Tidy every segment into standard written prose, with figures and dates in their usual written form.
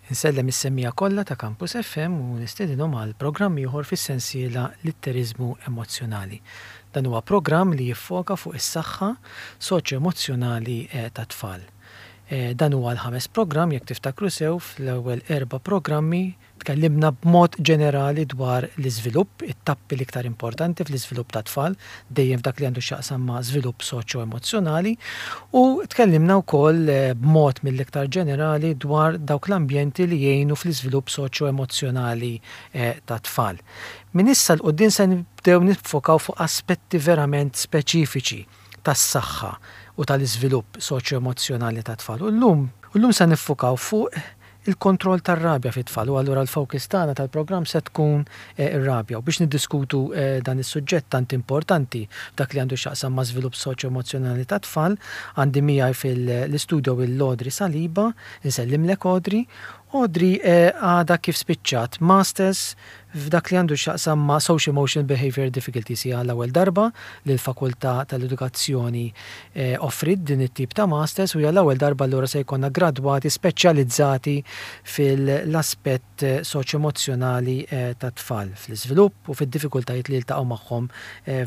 Insellem is-semmiegħa kollha ta' Campus FM u nistedinhom għal programm ieħor fis-sensiela Litteriżmu Emozzjonali. Dan huwa programm li jiffoka fuq is-saħħa soċjo-emozzjonali tat-tfal. Dan huwa l-ħames programm, jekk tiftakru sew, fl-ewwel erba' programmi Tkellimna b'mod ġenerali dwar l-iżvilupp, it-tappi l-iktar importanti fl-iżvilupp tat-tfal, dejjem f'dak li għandu x'jaqsam ma' żvilupp soċjo-emozzjonali, u tkellimna wkoll b'mod mill-iktar ġenerali dwar dawk l-ambjenti li jgħinu fl-iżvilupp soċjo-emozzjonali tat-tfal. Minn issa 'l quddiem se nibdew niffokaw fuq aspetti verament speċifiċi tas-saħħa u tal-iżvilupp soċjo-emozzjonali tat-tfal. U llum, llum se niffukaw fuq il-kontroll tar-rabja fit-tfal u allura l-focus tagħna tal-programm se tkun ir-rabja. U biex niddiskutu dan is-suġġett tant importanti f'dak li għandu x'jaqsam ma' żvilupp soċjo-emozzjonali tat-tfal, għandi miegħi fil-istudio lil Audrey Saliba. Insellimlek Audrey. Audrey għadha kif spiċċat Masters f'dak li għandu x'jaqsam ma' Social Emotional Behaviour Difficulties. Hija l-ewwel darba li l-Fakultà tal-Edukazzjoni offriet din it-tip ta' Masters u hija l-ewwel darba allura se jkollna gradwati speċjalizzati fil-aspett soċjo-emozzjonali tat-tfal, fl-iżvilupp u fid-diffikultajiet li jiltaqgħu magħhom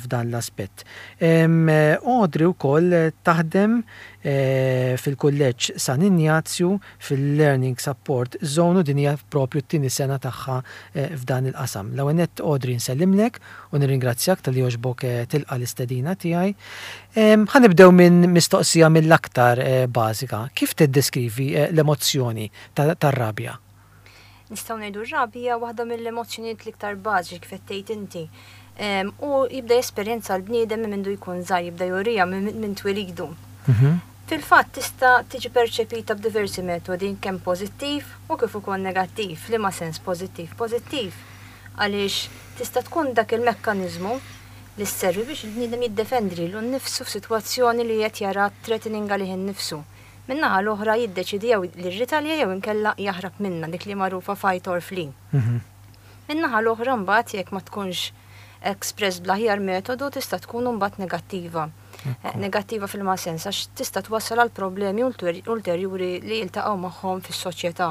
f'dan l-aspett. Audrey wkoll taħdem fil-Kulleġġ San Injazju fil-Learning Support Zone u din hija proprju t-tieni sena tagħha f'dan il-qasam. L-ewwel nett Audrey nsellimlek u nirringrazzjak talli għoġbok tilqa' l-istedina tiegħi. Ħa nibdew minn mistoqsija mill-aktar bażika. Kif tiddeskrivi l-emozzjoni tar-rabja? Nistgħu ngħidu r-rabja hija waħda mill-emozzjonijiet l-iktar bażiċi kif qed tgħid inti. U jibda jesperjenza l-bniedem minn mindu jkun żgħir, jibda juriha minn twilidu. Fil-fatt tista' tiġi perċepita b'diversi metodi, kemm pożittiv u kif ukoll negattiv. F'liema sens pożittiv? Pożittiv għaliex tista' tkun dak il-mekkaniżmu li sservi biex il-bniedem jiddefendi lilu nnifsu f'sitwazzjoni li qed jara threatening għalih innifsu. Min-naħa l-oħra jiddeċiedi jew li jirritalja jew inkella jaħrab minnha, dik li magħrufa fight or flee. Min-naħa l-oħra mbagħad jekk ma tkunx expressed bl-aħjar metodu tista' tkun imbagħad negattiva. Negattiva fil-ma sens għax tista' twassal għal problemi ulterjuri li jiltaqgħu magħhom fis-soċjetà.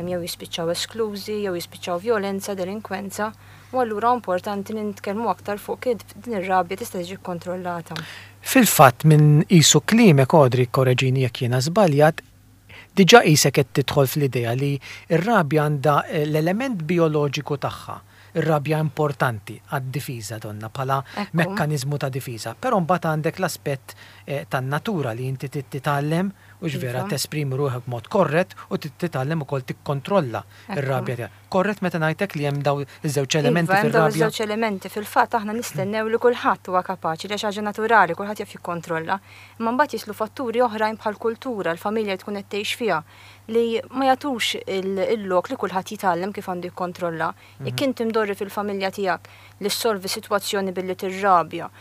Jew jispiċċaw esklużi, jew jispiċċaw vjolenza, delinkwenza, u allura importanti li nitkellmu aktar fuq kif din ir-rabja tista' tiġi kkontrollata. Fil-fatt minn qisu kliemek Audrey kkoreġini jekk jiena żbaljat, diġà qisek qed tidħol fl-idea li r-rabja għandha l-element bijoloġiku tagħha. Ir-rabja importanti għad-difiża donnha bħala mekkaniżmu ta' difiża. Però mbagħad għandek l-aspett tan-natura li inti trid titgħallem, hux vera, tesprimi ruħek b'mod korrett u trid titgħallem ukoll tikkontrolla r-rabja tiegħek. Korrett meta ngħid hekk li hemm dawn iż-żewġ elementi fir-rabja? Iva, hemm dawn iż-żewġ elementi. Fil-fatt aħna nistennew li kulħadd huwa kapaċi, li hija xi ħaġa naturali, kulħadd jaf jikkontrolla. Imma mbagħad jidħlu fatturi oħrajn bħall-kultura, l-familja li tkun qed tgħix fiha, li ma jagħtux il-lok li kulħadd jitgħallem kif għandu jikkontrolla. Jekk inti mdorri fil-familja tiegħek li ssolvi sitwazzjoni billi tirrabja,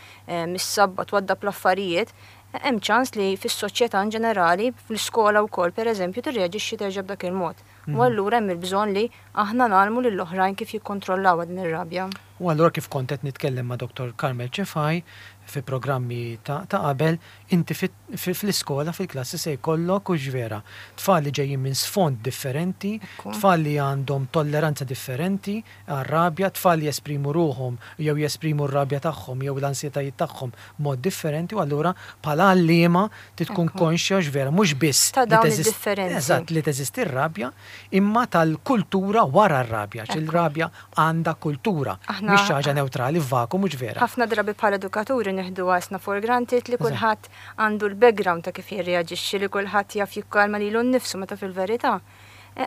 missabba, twaddab l-affarijiet, hemm ċans li fis-soċjetà in ġenerali, fl-iskola wkoll pereżempju, tirreaġixxi terġa' b'dak il-mod. U allura hemm il-bżonn li aħna ngħallmu lill-oħrajn kif jikkontrollawha din ir-rabja. U allura kif kont qed nitkellem ma' Dottor Carmel Cefai fi programmi ta' qabel, inti fl-iskola, fil-klassi se jkollok, hux vera, tfal li ġejjin minn sfond differenti, tfal li għandhom tolleranza differenti għar-rabja, tfal li jesprimu ruħhom jew jesprimu r-rabja tagħhom jew l-ansjetajiet tagħhom b'mod differenti u allura bħala għalliema trid tkun konxja hux vera mhux biss ta' dawn id-differenzi. Eżatt, li teżisti r-rabja, imma tal-kultura wara r-rabja, għax il-rabja għandha kultura, mhix xi ħaġa newtrali f'vakum hux vera. Ħafna drabi bħala edukaturi nieħduha isna for granted li kulħadd għandu l-background ta' kif jirreaġixxi, li kulħadd jaf jikkalma lilu nnifsu meta fil-verità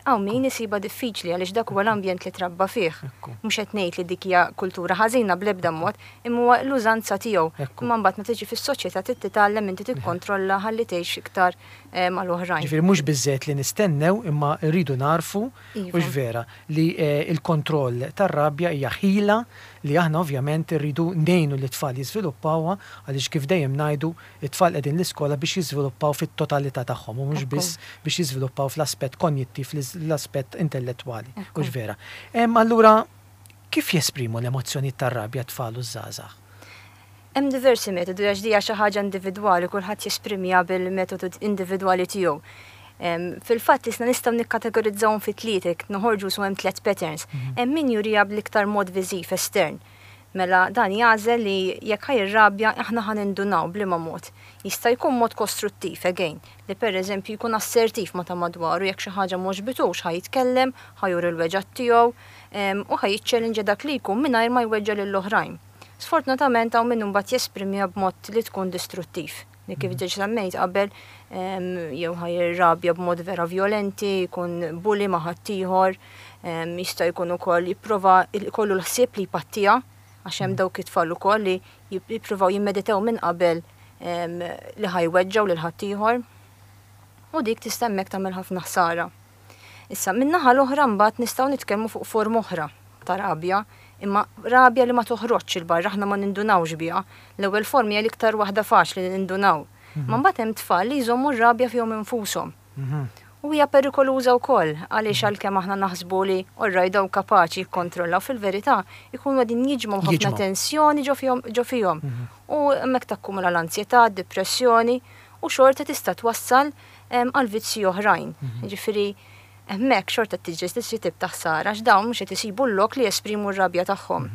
Hawn min isibha diffiċli għaliex dak huwa l-ambjent li trabba fih. Mhux qed ngħid li dik hija kultura ħażina bl-ebda mod, imma huwa l-użanza tiegħu. Imma mbagħad meta tiġi fis-soċjetà trid titgħallem inti tikkontrolla ħalli tgħix iktar mal-oħrajn. Ġifieri mhux biżżejjed li nistennew imma rridu nagħrfu, hux vera, li l-kontroll tar-rabja hija ħila li aħna ovvjament irridu ngħinu lit-tfal jiżviluppawha għaliex kif dejjem ngħidu It-tfal qegħdin l-iskola biex jiżviluppaw fit-totalità tagħhom u mhux biss biex jiżviluppaw fl-aspett konjittiv, l-aspett intellettwali. Hux vera? Allura, kif jesprimu l-emozzjonijiet tar-rabja t-tfal u ż-żgħażagħ? Hemm diversi metodi għax di hija xi ħaġa individwali, kulħadd jesprimiha bil-metodu individwali tiegħu. Fil-fatt isna nistgħu nikkategorizzawhom fi tliet, jekk noħorġu su hemm tlett patterns. Hemm min juriha bl-iktar mod viżiv estern. Mela dan jagħżel li jekk ħa jirrabja aħna ħa nindunaw b'liema mod. Jista' jkun mod kostruttiv, again, li pereżempju jkun assertiv ma' ta' madwaru jekk xi ħaġa m'għoġbitux ħa jitkellem, ħa juri l-weġgħat tiegħu u ħa jiċċellinġja dak li jkun mingħajr ma jweġġa' lill-oħrajn. Sfortunatament hawn min imbagħad jesprimiha b'mod li tkun distruttiv, li kif diġà semmejt qabel jew ħa jirrabja b'mod vera vjolenti, jkun bully ma' ħaddieħor, jista' jkun ukoll jipprova jkollu l-ħsieb li jpattiha, għax hemm dawk it-tfal ukoll li jippruvaw jimmeditaw minn qabel li ħa jweġġgħu lil ħaddieħor. U dik tista' hemmhekk tagħmel ħafna ħsara. Issa, min-naħa l-oħra mbagħad nistgħu nitkellmu fuq forma oħra ta' rabja, imma rabja li ma toħroġx 'il barra, aħna ma nindunawx biha. L-ewwel forma hija l-iktar waħda faċli li nindunaw. Imma mbagħad hemm tfal li jżommu r-rabja fihom infushom. U hija perikoluża wkoll għaliex għalkemm aħna naħsbu li orrajt dawn kapaċi jikkontrollaw, fil-verità jkunu qegħdin jiġmgħu ħafna tensjoni ġo fihom. U hemmhekk takkumula l-anzjetà, d-dipressjoni u xorta tista' twassal għal vizzji oħrajn. Jiġifieri hemmhekk xorta tiġri xi tip ta' ħsara għax dawn mhux qed isibu l-lok li jesprimu r-rabja tagħhom.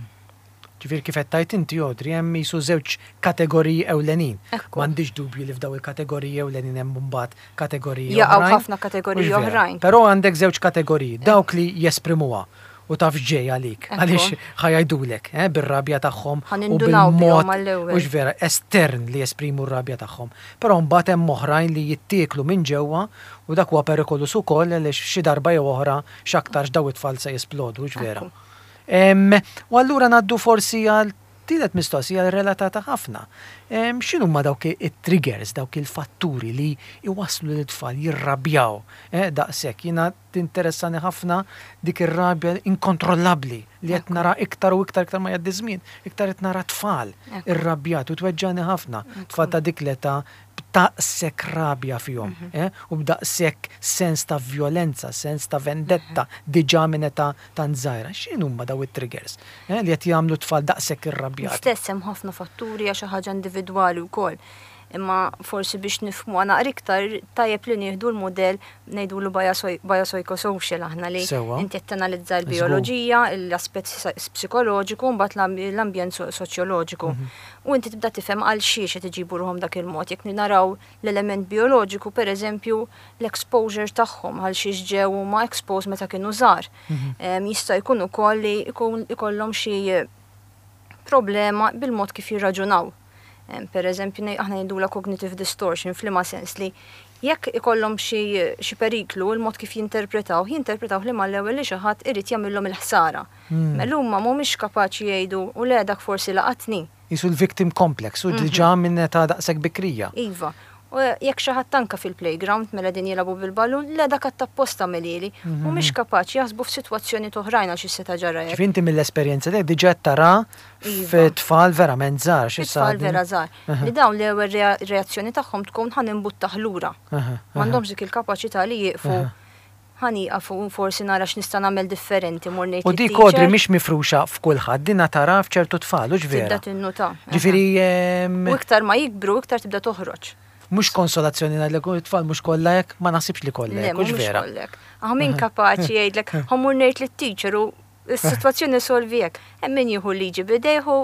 Ġifieri kif qed tgħid inti Audrey hemm qisu żewġ kategoriji ewlenin. M'għandix dubju li f'dawn il-kategoriji ewlenin hemm imbagħad kategoriji oħrajn. Jaqgħu ħafna kategoriji oħrajn. Però għandek żewġ kategoriji, dawk li jesprimuha u taf x'ġej għalik, għaliex ħa jgħidulek, eh, bir-rabja tagħhom u bil-mod, mhux vera, estern li jesprimu r-rabja tagħhom. Però mbagħad hemm oħrajn li jittieklu minn ġewwa u dak huwa perikoluż ukoll għaliex xi darba jew oħra x'aktarx dawn it-tfal se jisplodu, hux vera? U allura ngħaddu forsi għal tielet mistoqsija relatata ħafna. X'inhuma dawk it-triggers, dawk il-fatturi li jwasslu lit-tfal jirrabjaw, eh, daqshekk? Jiena Tinteressani ħafna dik ir-rabja inkontrollabbli li qed nara iktar u iktar iktar ma jgħaddi żmien, iktar qed nara tfal irrabjati u tweġġagħni ħafna. Tfal ta' dik l-età b'daqshekk rabja fihom u b'daqshekk sens ta' vjolenza, sens ta' vendetta diġà minn età tant żgħira. X'inhuma dawn it-triggers li qed jagħmlu t-tfal daqshekk irrabjati? L-istess hemm ħafna fatturi għax xi ħaġa individwali wkoll. Imma forsi biex nifhmuha naqra iktar tajjeb li nieħdu l-mudell ngħidulu biopsychosocial aħna li inti qed tanalizza l-bijoloġija, l-aspett psikoloġiku mbagħad l-ambjent soċjoloġiku. Mhm. U inti tibda tifhem għal xiex qed iġibu ruħhom dak il-mod. Jekk naraw l-element bijoloġiku, pereżempju, l-exposure tagħhom għal xiex ġew huma exposed meta kienu żgħar. Mhm. Jista' jkun ukoll li jkollhom xi problema bil-mod kif jirraġunaw. Per eżempju, aħna ngħidulha cognitive distortion f'liema sens li jekk ikollhom xi periklu, il-mod kif jinterpretaw, jinterpretaw li mal-ewwel li xi ħadd irid jagħmilhom il-ħsara. Hmm. Mela huma mhumiex kapaċi jgħidu u le dak forsi laqatni. Jisu l-victim complex u diġà mhm. minn età daqshekk bikrija. Iva. U jekk xi ħadd anke fil-playground mela din jilagħbu bil-ballun, le dak għad apposta għamilhieli. Mhumiex kapaċi jaħsbu f'sitwazzjonijiet oħrajn għal xi seta' ġara hekk. Ġifieri inti mill-esperjenza tiegħek diġà qed tara fit-tfal verament żgħar xi Fit-tfal vera żgħar. Li dawn l-ewwel reazzjoni tagħhom tkun ħa nimbuttah lura. M'għandhomx dik il-kapaċità li jieqfu ħa nieqaf u forsi nara x'nista' nagħmel differenti, mmur ngħid U dik Audrey mhix mifruxa f'kulħadd, dinha taraha f'ċertu tfal, hux vera? Tibda tinnuta. Ġifieri. U iktar ma jikbru, iktar tibda toħroġ. Mhux konsolazzjoni ngħidlek it-tfal mhux kollha hekk, ma naħsibx li kollha hekk, hux vera? Le, mhux kollha hekk. Hawn min kapaċi jgħidlek, ħa mmur ngħid lit-teacher u Is-sitwazzjoni solvi hekk. Hemm min jieħu l-liġi b'idejh u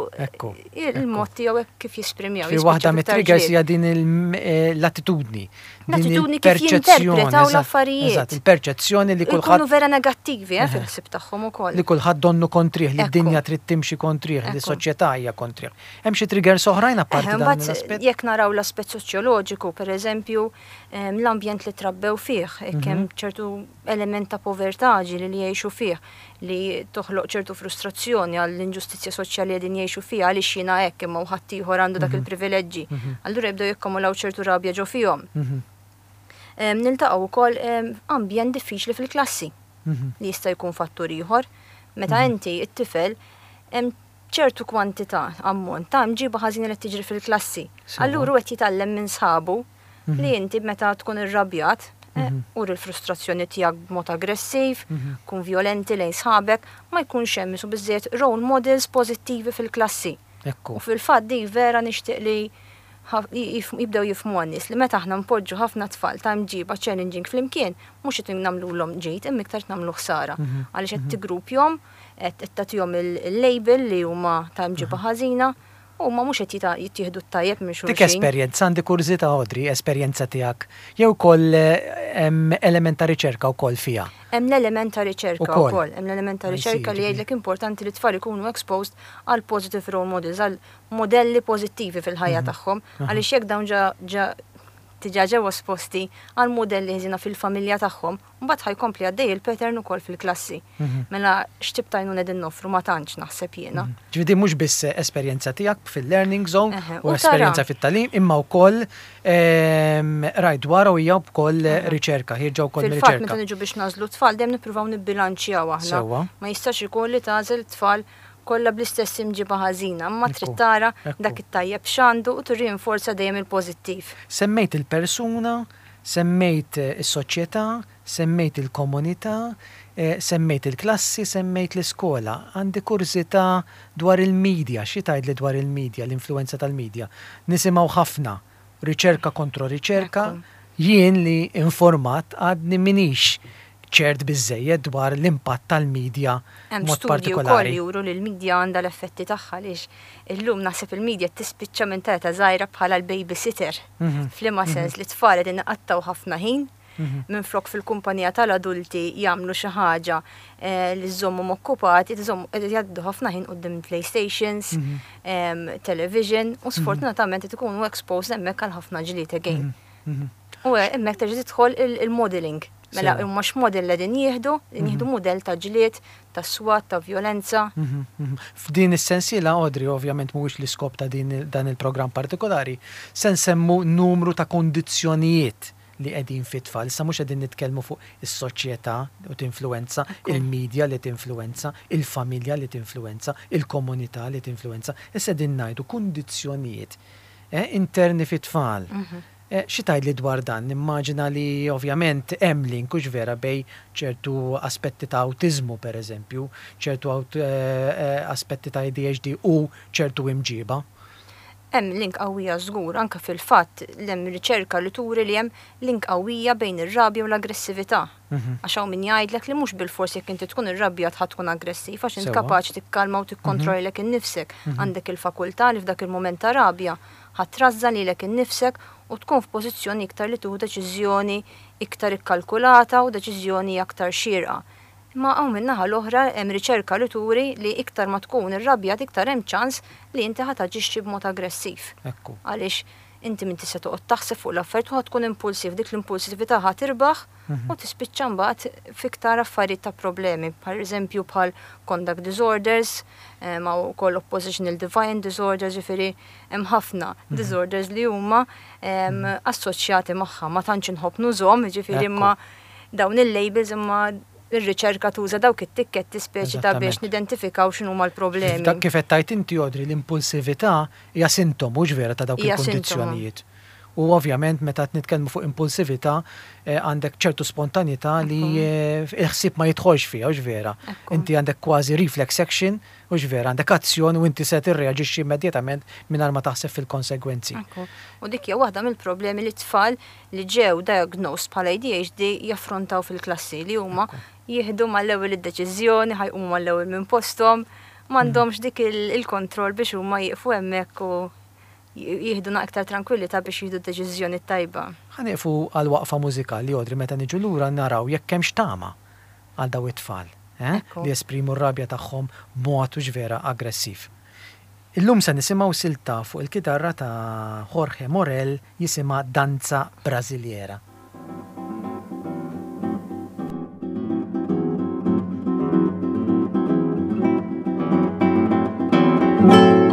il-mod tiegħu hekk kif jisprimiha. Fi waħda mit-triggers hija din eh, l-attitudni. L-attitudni kif jinterpretaw l-affarijiet. Eżatt, il-perċezzjoni li kulħadd. Ikunu vera negattivi eh, fil-ħsieb tagħhom ukoll. Li kulħadd donnu kontrih, li d-dinja trid timxi kontrih, li s-soċjetà hija kontrih. Hemm xi triggers oħrajn apparti dan l-aspett? Jekk naraw l-aspett soċjoloġiku, pereżempju, l-ambjent li trabbew fih, jekk hemm mhm. ċertu element ta' povertà ġieli li jgħixu fih, li toħloq ċertu frustrazzjoni għall-inġustizzja soċjali li qegħdin jgħixu fiha għaliex jiena hekk imma u ħaddieħor għandu dak il-privileġġi. Allura jibdew jikkumulaw ċertu rabja ġo fihom. Niltaqgħu wkoll ambjent diffiċli fil-klassi li jista' jkun fattur ieħor. Meta inti t-tifel hemm ċertu kwantità, ammont ta' mġiba ħażina li qed tiġri fil-klassi. Allura hu qed jitgħallem minn sħabu li inti meta tkun irrabjat, eh, uri l-frustrazzjoni tiegħek b'mod aggressiv, kun vjolenti lejn sħabek, ma jkunx hemm isu biżżejjed role models pożittivi fil-klassi. U fil-fatt di vera nixtieq li Jibdew jifhmuha n-nies li meta aħna npoġġu ħafna tfal ta' imġiba challenging flimkien, mhux qed nagħmlulhom ġid imma iktar qed nagħmlu ħsara. Għaliex qed tiggrupjhom, qed tagħtihom il-label li huma ta' imġiba ħażina u huma mhux qed jittieħdu t-tajjeb minn Dik xulxin. esperjenza, għandi kurżità Audrey, esperjenza tiegħek jew ukoll hemm element ta' riċerka wkoll fiha? Hemm l-element ta' riċerka Ukoll. wkoll, hemm l-element ta' I see, riċerka li ġifieri. jgħidlek importanti li t-tfal ikunu exposed għal positive role models, għal modelli pożittivi fil-ħajja tagħhom, għaliex jekk dawn ġa ġa diġà ġew esposti għal modelli ħżiena fil-familja tagħhom, mbagħad ħa jkompli għaddej il-pattern ukoll fil-klassi. Mela x'tip ta' għajnuna qegħdin noffru ma tantx naħseb jiena. Ġifieri din mhux biss esperjenza tiegħek fil-learning zone Eħe, u u tara. esperjenza fit-tagħlim, imma wkoll rajt dwarha u hija wkoll riċerka, ħierġa wkoll Fil-fatt mir-riċerka. meta niġu biex nagħżlu tfal dejjem nippruvaw nibbilanċjaw aħna. Sewwa. Ma jistax ikun li tagħżel tfal kollha bl-istess imġiba ħażina, imma trid tara dak it-tajjeb x'għandu u tirrinforza dejjem il-pożittiv. Semmejt il-persuna, semmejt is-soċjetà, semmejt il-komunità, semmejt il-klassi, semmejt l-iskola. Għandi kurżità dwar il-media, xi tgħidli dwar il-media, l-influenza tal-media? Nisimgħu ħafna riċerka kontro riċerka, jien li informat għadni minix ċert biżżejjed dwar l-impatt tal-media Hemm mod studji wkoll partikolari. li juru li l-media għandha l-effetti tagħha għaliex illum naħseb il-media tispiċċa minn ta' età żgħira bħala l-babysitter. F'liema sens li tfal qegħdin iqattgħu ħafna ħin minflok fil-kumpanija tal-adulti jagħmlu xi ħaġa li żżommhom okkupati, qed jgħaddu ħafna ħin quddiem PlayStations, television u sfortunatament qed ikunu exposed hemmhekk għal ħafna ġlied again. U hemmhekk terġa' tidħol il-modeling. Mela huma x'model qegħdin jieħdu, qegħdin jieħdu mudell ta' ġlied, ta' swat, ta' vjolenza. F'din is-sensiela, Audrey, ovvjament mhuwiex l-iskop ta' din dan il-programm partikolari, se nsemmu numru ta' kondizzjonijiet li qegħdin fit-tfal. Issa mhux qegħdin nitkellmu fuq is-soċjetà u tinfluwenza, il-medja li tinfluwenza, il-familja li tinfluwenza, il-komunità li tinfluwenza. Issa qegħdin ngħidu kundizzjonijiet interni fit-tfal. Xi tgħidli dwar dan? Nimmaġina li ovvjament hemm link hux vera bejn ċertu aspetti ta' awtiżmu pereżempju, ċertu aspetti ta' ADHD u ċertu imġiba. Hemm link qawwija żgur, anke fil-fatt hemm riċerka li turi li hemm link qawwija bejn ir-rabja u l-aggressività. Għax hawn min jgħidlek li mhux bilfors jekk inti tkun irrabjat ħadd tkun aggressiv, għax int kapaċi tikkalma u tikkontrollek innifsek. Għandek il-fakultà li f'dak il-mument ta' rabja ħadd trażżan lilek innifsek u tkun f'pożizzjoni iktar li tieħu deċiżjoni iktar ikkalkulata u deċiżjoni aktar xierqa. Imma hawn min-naħa l-oħra hemm riċerka li turi li iktar ma tkun irrabjat iktar hemm ċans li inti ħa taġixxi b'mod aggressiv. Għaliex inti min tista' toqgħod taħseb fuq l-affarijiet u ħa tkun impulsiv, dik l-impulsività ħa tirbaħ u tispiċċa mbagħad fiktar affarijiet ta' problemi, per eżempju bħal conduct disorders, ma wkoll oppositional defiant disorders, ġifieri hemm ħafna disorders li huma assoċjati magħha, ma tantx inħobb nużhom, ġifieri imma dawn il-labels imma ir-riċerka tuża dawk it-tikketti speċi ta' biex nidentifikaw x'inhuma l-problemi. Dak kif qed tgħid inti Audrey, l-impulsività hija sintomu mhux vera ta' dawk Hija sintomu. il-kundizzjonijiet. U ovvjament meta qed nitkellmu fuq impulsività għandek ċertu spontanità li il-ħsieb ma jidħolx fiha, hux vera. Inti għandek kważi reflex action, hux vera, għandek azzjoni u inti se tirreaġixxi immedjatament mingħajr ma taħseb fil-konsegwenzi. U dik hija waħda mill-problemi li tfal li ġew diagnosed bħala ADHD jaffrontaw fil-klassi li huma jieħdu mal-ewwel id-deċiżjoni, ħa jqumu mal-ewwel minn posthom, m'għandhomx dik il-kontroll biex huma jieqfu hemmhekk u jieħdu aktar tranquillità biex jieħdu d-deċiżjoni tajba. Ħa nieqfu għal waqfa mużikali, Audrey, meta niġu lura naraw jekk hemmx tama għal daw it-tfal, li jesprimu r-rabja tagħhom b'mod hux vera aggressiv. Illum se nisimgħu silta fuq il-kitarra ta' Jorge Morel jisimha Danza Brasiliera. Thank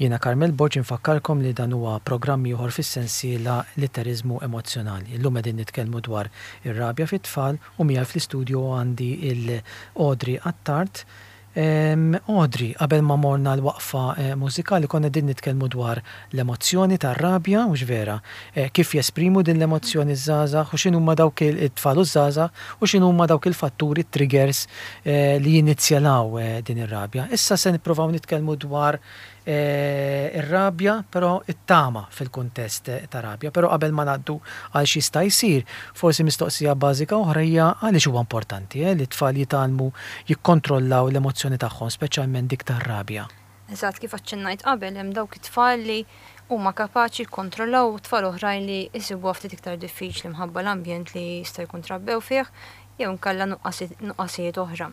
Jiena Carmel Borg infakkarkom li dan huwa programm ieħor fis-sensiela Litteriżmu Emozzjonali. Illum qegħdin nitkellmu dwar ir-rabja fit-tfal u miegħi fl-istudio għandi 'l Audrey Attard. Audrey, qabel ma morna l-waqfa mużikali konna qegħdin nitkellmu dwar l-emozzjoni tar-rabja, hux vera? Kif jesprimu din l-emozzjoni ż-żgħażagħ u x'inhuma dawk it-tfal u ż-żgħażagħ u x'inhuma dawk il-fatturi, triggers li jinizjalaw din ir-rabja. Issa se nippruvaw nitkellmu dwar ir-rabja, però it-tama fil-kuntest ta' rabja. Però qabel ma ngħaddu għal x'jista' jsir, forsi mistoqsija bażika oħra hija għaliex huwa importanti li t-tfal jitgħallmu jikkontrollaw l-emozzjoni tagħhom, speċjalment dik tar-rabja. Eżatt, kif aċċennajt qabel, hemm dawk it-tfal li huma kapaċi jikkontrollaw u tfal oħrajn li jsibuha ftit iktar diffiċli minħabba l-ambjent li jista' jkun trabbew fih jew inkella nuqqasijiet oħra.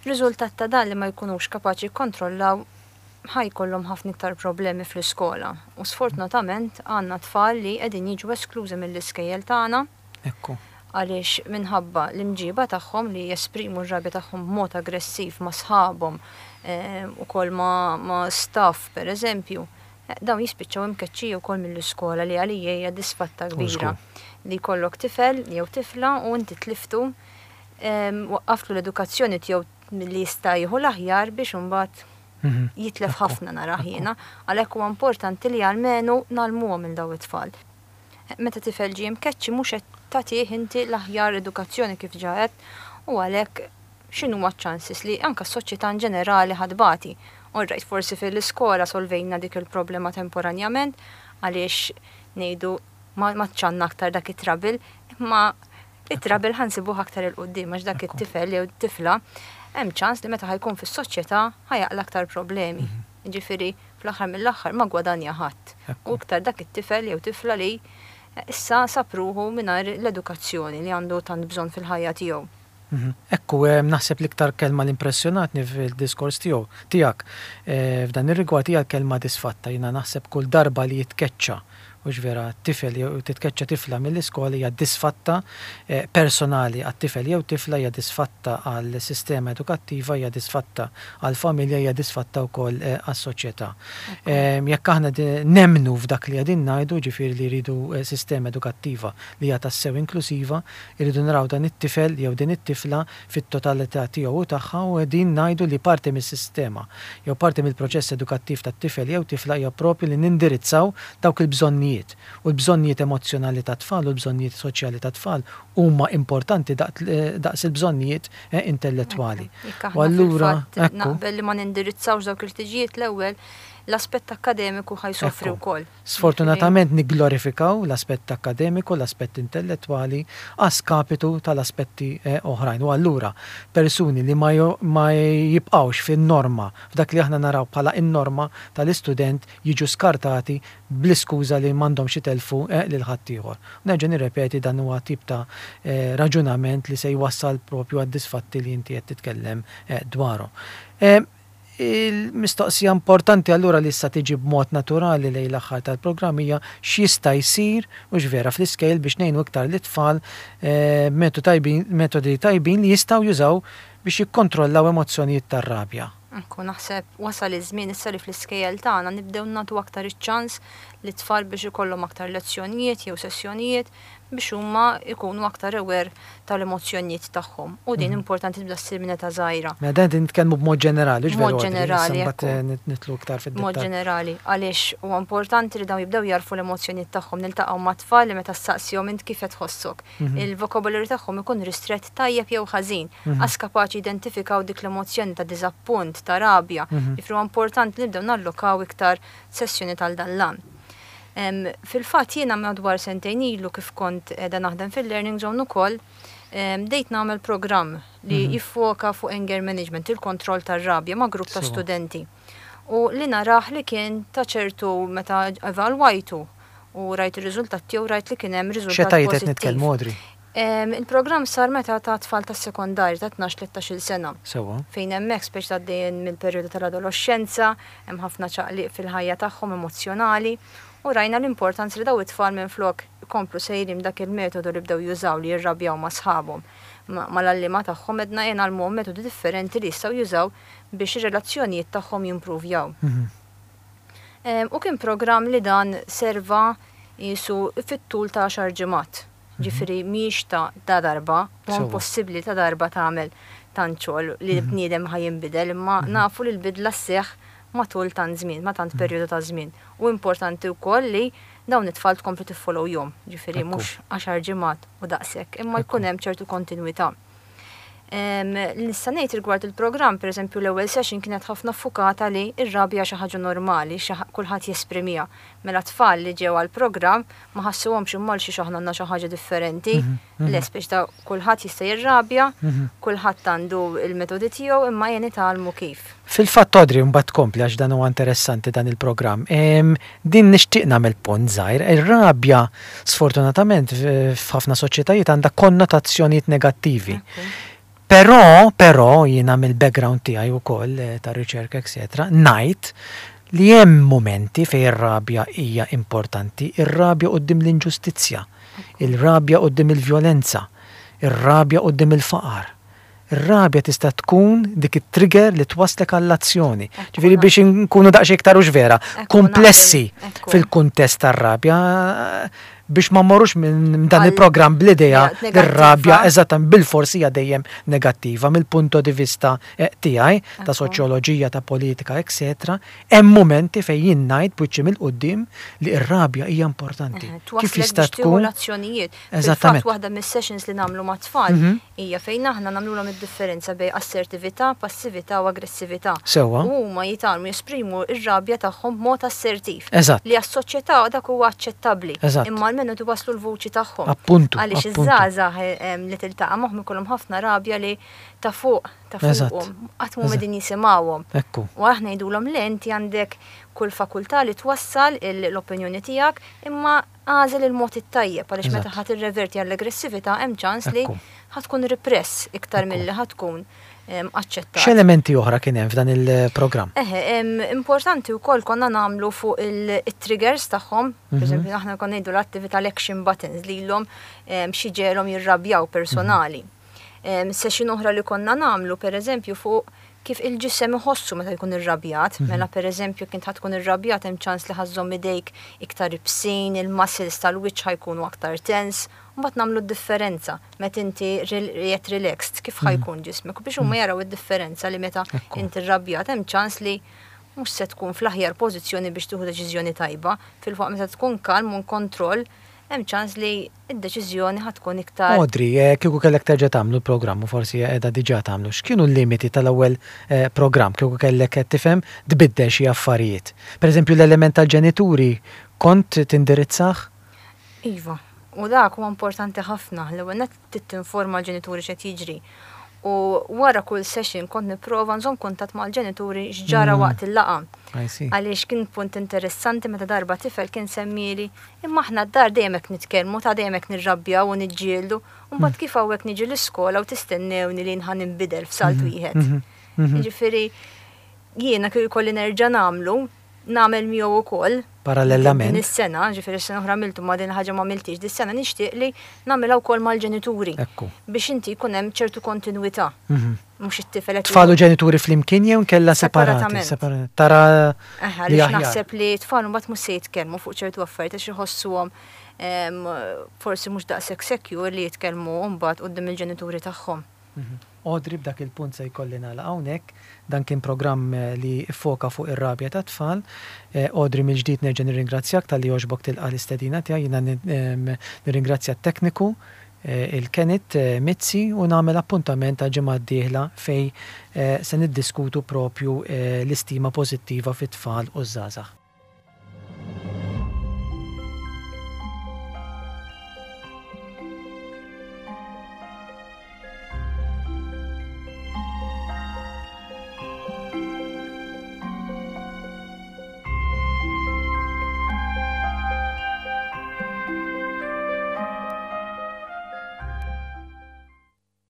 Riżultat ta' dan li ma jkunux kapaċi jikkontrollaw ħa jkollhom ħafna iktar problemi fl-iskola. U sfortunatament għandna tfal li qegħdin jiġu esklużi mill-iskejjel tagħna. Ekku. Għaliex minħabba l-imġiba tagħhom li jesprimu r-rabja tagħhom b'mod aggressiv ma' sħabhom ukoll ma' staff pereżempju, dawn jispiċċaw imkeċċija wkoll mill-iskola li għalija hija disfatta kbira. Li jkollok tifel jew tifla u inti tliftu, waqqaftlu l-edukazzjoni tiegħu milli jista' jieħu l-aħjar biex imbagħad jitlef ħafna narah jiena, għalhekk huwa importanti li almenu ngħallmuhom lil dawn it-tfal. Meta tifel ġie mkeċċi mhux qed tagħtih inti l-aħjar edukazzjoni kif ġa għedt u għalhekk x'inhuma ċ-chances li anke s-soċjetà in ġenerali ħa tbati. All right, forsi fil-iskola solvejna dik il-problema temporanjament għaliex ngħidu ma għadx għandna aktar dak it-trouble, imma it-trouble ħa nsibuh aktar 'il quddiem għax dak it-tifel jew tifla hemm ċans li meta ħa jkun fis-soċjetà ħa jaqla' aktar problemi. Ġifieri fl-aħħar mill-aħħar ma gwadanja ħadd. U iktar dak it-tifel jew tifla li issa sab ruħu mingħajr l-edukazzjoni li għandu tant bżonn fil-ħajja tiegħu. Ekku, naħseb l-iktar kelma li impressjonatni fil-diskors tiegħu tiegħek f'dan ir-rigward hija l-kelma disfatta. Jiena naħseb kull darba li jitkeċċa, hux vera, tifel jew titkeċċa tifla mill-iskola hija disfatta personali għat-tifel jew tifla, hija disfatta għall-sistema edukattiva, hija disfatta għall-familja, hija disfatta wkoll għas-soċjetà. Jekk aħna nemmnu f'dak li qegħdin ngħidu, ġifieri li rridu sistema edukattiva li hija tassew inklusiva, irridu naraw dan it-tifel jew din it-tifla fit-totalità tiegħu u tagħha u qegħdin ngħidu li parti mis-sistema jew parti mill-proċess edukattiv tat-tifel jew tifla hija propju li nindirizzaw dawk il-bżonnijiet. U l-bżonnijiet emozzjonali tat-tfal u l-bżonnijiet soċjali tat-tfal huma importanti daqs il-bżonnijiet intellettwali. Jekk aħna fil-fatt naqbel li ma nindirizzawx dawk il-ħtiġijiet l-ewwel, l-aspett akkademiku ħa jsofri wkoll. Sfortunatament nigglorifikaw l-aspett akkademiku, l-aspett intellettwali a skapitu tal-aspetti oħrajn. U allura persuni li ma jibqgħux fin-norma, f'dak li aħna naraw bħala n-norma tal-istudent jiġu skartati bl-iskuża li m'għandhomx itellfu lil ħaddieħor. Nerġa' nirrepeti dan huwa tip ta' raġunament li se jwassal propju għad-disfatti li inti qed titkellem dwarhom. Il-mistoqsija importanti allura li issa tiġi b'mod naturali lejn l-aħħar tal-programm hija x'jista' jsir hux vera fl-iskejjel biex ngħinu iktar lit-tfal metodi tajbin li jistgħu jużaw biex jikkontrollaw emozzjonijiet tar-rabja. Ekku, naħseb wasal iż-żmien issa li fl-iskejjel tagħna nibdew nagħtu aktar iċ-ċans lit-tfal biex ikollhom aktar lezzjonijiet jew sessjonijiet biex huma jkunu aktar aware tal-emozzjonijiet tagħhom. U din importanti tibda ssir minn età żgħira. Mela dan qegħdin nitkellmu b'mod ġenerali, hux veru? B'mod ġenerali, ekku. Mbagħad nidħlu iktar fid-dettall. B'mod ġenerali, għaliex huwa importanti li dawn jibdew jagħrfu l-emozzjonijiet tagħhom. Niltaqgħu ma' tfal li meta ssaqsihom int kif qed tħossok. Il-vocabulary tagħhom ikun ristrett tajjeb jew ħażin. Qas kapaċi jidentifikaw dik l-emozzjoni ta' diżappunt, ta' rabja. Jiġifieri huwa importanti li nibdew nallokaw iktar sessjoni tal dan l-għan. Fil-fatt jiena madwar sentejn ilu kif kont qiegħda naħdem fil-Learning Zone ukoll, bdejt nagħmel programm li jiffoka fuq anger management, il-kontroll tar-rabja ma' grupp ta' studenti. U li narah li kien ta' ċertu meta evalwajtu u rajt ir-riżultat tiegħu rajt li kien hemm riżultat X'etajiet qed nitkellmu, Audrey? Il-programm sar meta ta' tfal tas-sekondarju ta' 12-13-il sena. Sewwa. Fejn hemmhekk speċi għaddejjin mill-perjodu tal-adoloxxenza, hemm ħafna ċaqliq fil-ħajja tagħhom emozzjonali u rajna l-importanza li daw it-tfal minflok ikomplu sejrin b'dak il-metodu li bdew jużaw li jirrabjaw ma' sħabhom, mal-għalliema tagħhom għedna ejja ngħallmuhom metodi differenti li jistgħu jużaw biex ir-relazzjonijiet tagħhom jimpruvjaw. U kien programm li dan serva qisu fit-tul ta' għaxar ġimgħat. Ġifieri mhijiex ta' ta' darba, huwa impossibbli ta' darba tagħmel tant xogħol li bniedem ħa jinbidel, imma nafu li l-bidla sseħħ matul tant żmien, ma' tant perjodu ta' żmien. U importanti wkoll li dawn it-tfal tkompli tiffollowjhom, ġifieri mhux għaxar ġimgħat u daqshekk, imma jkun hemm ċertu kontinwità. Li nista' ngħid rigward il-programm, pereżempju l-ewwel session kienet ħafna ffukata li r-rabja xi ħaġa normali, xi kulħadd jesprimiha. Mela t-tfal li ġew għall-programm ma ħassuhomx imma għal xiex aħna għandna xi ħaġa differenti. Le speċi ta' kulħadd jista' jirrabja, kulħadd għandu l-metodi tiegħu imma ejja nitgħallmu kif. Fil-fatt Audrey mbagħad tkompli għax dan huwa interessanti dan il-programm. Din nixtieq nagħmel punt żgħir. Ir-rabja, sfortunatament, f'ħafna soċjetajiet għandha konnotazzjonijiet negattivi. Però, però, jiena mill-background tiegħi wkoll eh, ta' riċerka, etc., ngħid li hemm mumenti fejn ir-rabja hija importanti, ir-rabja quddiem l-inġustizzja, il-rabja quddiem il-vjolenza, ir-rabja quddiem il-faqar. Ir-rabja tista' tkun dik it-trigger li twasslek għall-azzjoni. Ġifieri biex inkunu daqsxejn iktar hux vera, kumplessi fil-kuntest tar-rabja biex ma mmorrux minn dan il-programm bl-idea li r-rabja eżattament bilfors hija dejjem negattiva mill-punto di vista eh, tiegħi ta' soċjoloġija, ta' politika, etc. Hemm mumenti fejn jien ngħid b'wiċċi mill-quddiem li r-rabja hija importanti. Kif jista' tkun? L-azzjonijiet. Eżattament. Waħda mis-sessions li nagħmlu mat-tfal mhm. hija fejn aħna nagħmlulhom id-differenza bejn assertività, passività u aggressività. Sewwa. U huma jitgħallmu jesprimu r-rabja tagħhom b'mod assertiv. Eżatt. Li għas-soċjetà dak huwa aċċettabbli. Eżatt. Imma almenu twasslu l-vuċi tagħhom. Appuntu. Għaliex iż-żgħażagħ eh, li tiltaqa' magħhom ikollhom ħafna rabja li ta' fuq ta' fuqhom. Qatt m'huma qegħdin jisimgħuhom. Ekku. U aħna ngħidulhom le inti għandek kull fakultà li twassal l-opinjoni tiegħek imma Agħżel il-mod it-tajjeb għaliex meta ħa tirreverti għall-aggressività hemm ċans li ħa tkun repress iktar milli ħa tkun aċċettat. X'elementi oħra kien hemm f'dan il-programm? Eħe, importanti wkoll konna nagħmlu fuq it-triggers tagħhom, pereżempju aħna konna ngħidu l-attività l-action buttons lilhom xi ġegħelhom jirrabjaw personali. Session oħra li konna nagħmlu pereżempju fuq kif il-ġisem iħossu meta jkun irrabjat. Mela pereżempju jekk int ħa tkun irrabjat hemm ċans li ħa żżomm idejk iktar ibsin, il-muscles tal-wiċċ ħa jkunu aktar tense, u mbagħad nagħmlu d-differenza meta inti qiegħed relaxed kif ħa jkun ġismek u biex huma jaraw id-differenza li meta inti rrabjat hemm ċans li mhux se tkun fl-aħjar pożizzjoni biex tieħu deċiżjoni tajba, filwaqt meta tkun kalm u in kontroll hemm ċans li d-deċiżjoni ħa tkun iktar. Audrey, kieku kellek terġa' tagħmlu l-programm u forsi qiegħda diġà tagħmlu, x'kienu l-limiti tal-ewwel programm kieku kellek qed tifhem tbiddel xi affarijiet? Pereżempju l-element tal-ġenituri kont tindirizzah? Iva, u dak huwa importanti ħafna. L-ewwel nett trid tinforma l-ġenituri x'qed jiġri. U wara kull session kont nipprova nżomm kuntatt mal-ġenituri x'ġara waqt il-laqgħa. Għaliex kien punt interessanti meta darba tifel kien semmieli Imma aħna d-dar dejjem hekk nitkellmu, ta' dejjem hekk nirrabjaw u niġġieldu, u mbagħad kif hawnhekk niġi l-iskola u tistennewni li jien ħa ninbidel f'salt wieħed. Jiġifieri jiena kieku jkolli nerġa' nagħmlu, nagħmel miegħu wkoll. Parallelament. Din is-sena, ġifieri s-sena oħra għamiltu ma din il-ħaġa ma għamiltix, dis-sena nixtieq li nagħmilha wkoll mal-ġenituri. Biex inti jkun hemm ċertu kontinwità. Mhux it-tifel qed. Tfal u ġenituri flimkien jew inkella separati? Separatament. Tara li aħjar. Naħseb li tfal mbagħad mhux se jitkellmu fuq ċertu affarijiet għax iħossuhom forsi mhux daqshekk secure li jitkellmu mbagħad quddiem il-ġenituri tagħhom. Audrey, b'dak il-punt se jkolli nagħlaq hawnhekk. Dan kien programm li ffoka fuq ir-rabja tat-tfal. Audrey mill-ġdid nerġa' nirringrazzjak talli għoġbok tilqa' l-istedina tiegħi. Jiena nirringrazzja t-tekniku il-Kenneth Mizzi u nagħmel appuntament għall-ġimgħa d-dieħla fejn se niddiskutu propju l-istima pożittiva fit-tfal u ż-żgħażagħ.